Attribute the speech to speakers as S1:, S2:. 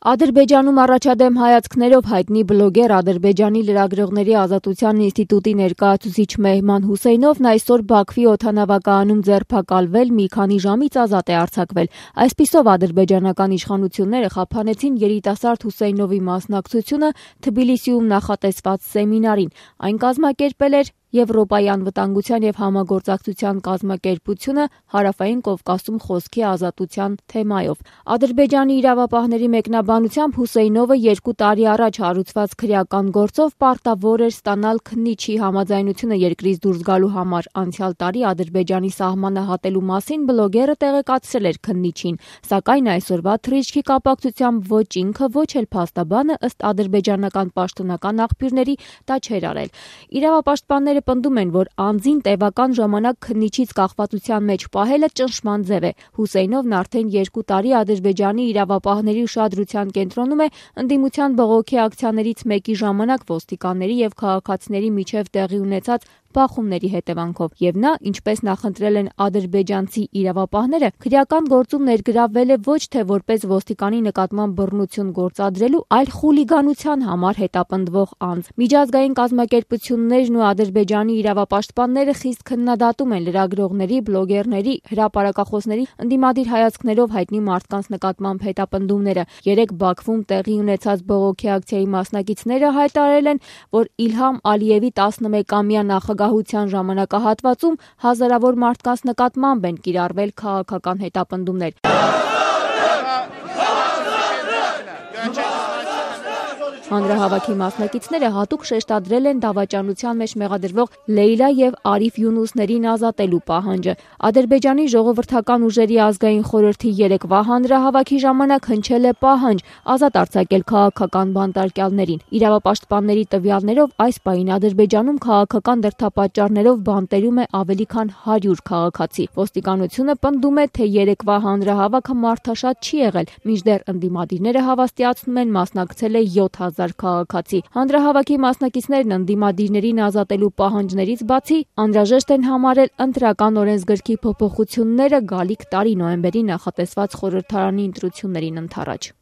S1: Ադրբեջանում առաջադեմ հայացքներով հայտնի բլոգեր, Ադրբեջանի լրագրողների ազատության ինստիտուտի ներկայացուցիչ Մեհման Հուսեյնովն այսօր Բաքվի օդանավակայանում ձերբակալվել, մի քանի ժամից ազատ է արձակվել։ Այսպիսով ադրբեջանական իշխանությունները խափանեցին երիտասարդ Հուսեյնովի մասնակցությունը Թբիլիսիում նախատեսված սեմինարին։ Այն կազմակերպել էր Եվրոպայի անվտանգության և համագործակցության կազմակերպությունը Հարավային Կովկասում խոսքի ազատության թեմայով։ Ադրբեջանի իրավապահների մեկնաբանությամբ Հուսեյնովը 2 տարի առաջ հարուցված քրեական գործով պարտավոր էր ստանալ քննիչի համաձայնությունը երկրից դուրս գալու համար։ Անցյալ տարի Ադրբեջանի սահմանը հատելու մասին բլոգերը տեղեկացրել էր քննիչին, սակայն այսօրվա թռիչքի կապակցությամբ ոչ ինքը, ոչ էլ փաստաբանը ըստ ադրբեջանական պաշտոնական աղբյուրների դա չէր արել։ Իրավապաշտպանները պնդում են, որ անձին տևական ժամանակ քննիչից կախվածության մեջ պահելը ճնշման ձև է։ Հուսեյնովն արդեն 2 տարի Ադրբեջանի իրավապահների ուշադրության կենտրոնում է ընդդիմության բողոքի ակցիաներից մեկի ժամանակ ոստիկանների և քաղաքացիների միջև տեղի ունեցած բախումների հետևանքով, եւ նա, ինչպես նախընտրել են ադրբեջանցի իրավապահները, քրեական գործում ներգրավվել է ոչ թե որպես ոստիկանի նկատմամբ բռնություն գործադրելու, այլ խուլիգանության համար հետապնդվող անձ։ Միջազգային կազմակերպություններն ու ադրբեջանի իրավապաշտպանները խիստ քննադատում են լրագրողների, բլոգերների, հրապարակախոսների ընդդիմադիր հայացքներով հայտնի մարդկանց նկատմամբ հետապնդումները։ Երեկ Բաքվում տեղի ունեցած բողոքի ակցիայի մասնակիցները հայտարարել են, որ Իլհամ Ալիևի 11-ամյա նախագահության ժամանակահատվածում հազարավոր մարդկանց նկատմամբ են կիրառվել քաղաքական հետապնդումներ։ Հանրահավաքի մասնակիցները հատուկ շեշտադրել են դավաճանության մեջ մեղադրվող Լեյլա և Արիֆ Յունուսներին ազատելու պահանջը։ Ադրբեջանի ժողովրդական ուժերի ազգային խորհրդի երեկվա հանրահավաքի ժամանակ հնչել է պահանջ ազատ արձակել քաղաքական բանտարկյալներին։ Իրավապաշտպանների տվյալներով այս պահին Ադրբեջանում քաղաքական դրդապատճառներով բանտերում է ավելի քան 100 քաղաքացի։ Ոստիկանությունը պնդում է, թե երեկվա հանրահավաքը մարդաշատ չի եղել, մինչդեռ ընդդիմադիրները հավաստիացնում են մասնակցել է 7000 քաղաքացի։ Հանրահավաքի մասնակիցներն ընդդիմադիրներին ազատելու պահանջներից բացի անհրաժեշտ են համարել ընտրական օրենսգրքի փոփոխությունները գալիք տարի նոյեմբերի նախատեսված խորհրդարանի ընտրություններին ընդառաջ։